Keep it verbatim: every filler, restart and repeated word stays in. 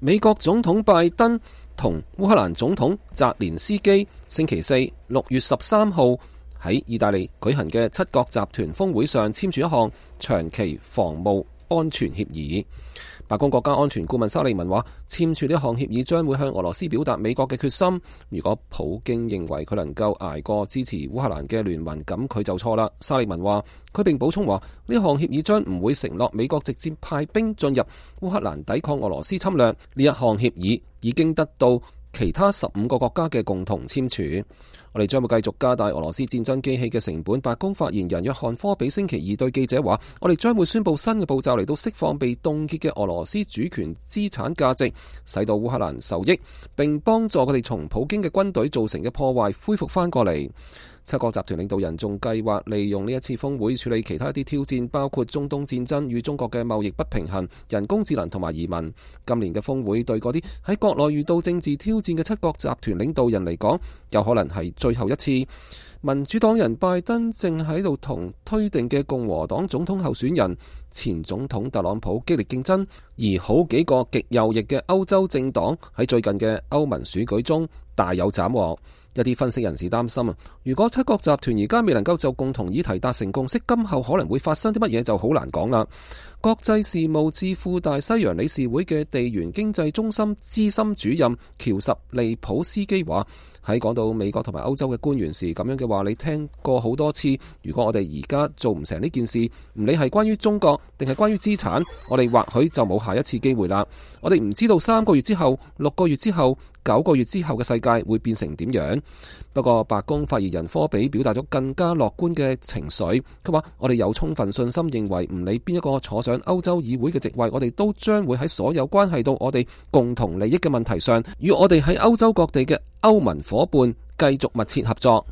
美國總統拜登同烏克蘭總統澤連斯基星期四六月十三號喺意大利舉行嘅七國集團峰會上簽署一項長期防務安全協議。白宮國家安全顧問沙利文話，簽署呢項協議將會向俄羅斯表達美國嘅決心。如果普京認為佢能夠捱過支持烏克蘭嘅聯盟，咁佢就錯啦。沙利文話，佢並補充話，呢項協議將唔會承諾美國直接派兵進入烏克蘭抵抗俄羅斯侵略。呢一項協議已經得到其他十五個國家嘅共同簽署。我哋將會繼續加大俄羅斯戰爭機器嘅成本。白宮發言人約翰科比星期二對記者話，我哋將會宣布新嘅步驟嚟到釋放被凍結嘅俄羅斯主權資產價值，使到烏克蘭受益，並幫助佢哋從普京嘅軍隊造成嘅破壞恢復翻過嚟。七國集團領導人仲計劃利用呢一次峰會處理其他一啲挑戰，包括中東戰爭與中國嘅貿易不平衡、人工智能同埋移民。今年嘅峰會對嗰啲喺國內遇到政治挑戰嘅七國集團領導人嚟講，有可能係最後一次。民主黨人拜登正喺度同推定嘅共和黨總統候選人前總統特朗普激烈競爭，而好幾個極右翼嘅歐洲政黨喺最近嘅歐盟選舉中大有斬獲。一啲分析人士擔心啊，如果七國集團而家未能夠就共同議題達成共識，今後可能會發生啲乜嘢就好難講啦。國際事務智庫大西洋理事會嘅地緣經濟中心資深主任喬什利普斯基話，喺講到美國同埋歐洲嘅官員時，咁樣嘅話你聽過好多次。如果我哋而家做唔成呢件事，唔理係關於中國定係關於資產，我哋或許就冇下一次機會啦。我哋唔知道三個月之後、六個月之後、九個月之後嘅世界會變成點樣。不過白宮發言人科比表達咗更加樂觀嘅情緒，佢話我哋有充分信心認為唔理邊一個坐上歐洲議會嘅席位，我哋都將會喺所有關係到我哋共同利益嘅問題上，與我哋喺歐洲各地嘅歐盟夥伴繼續密切合作。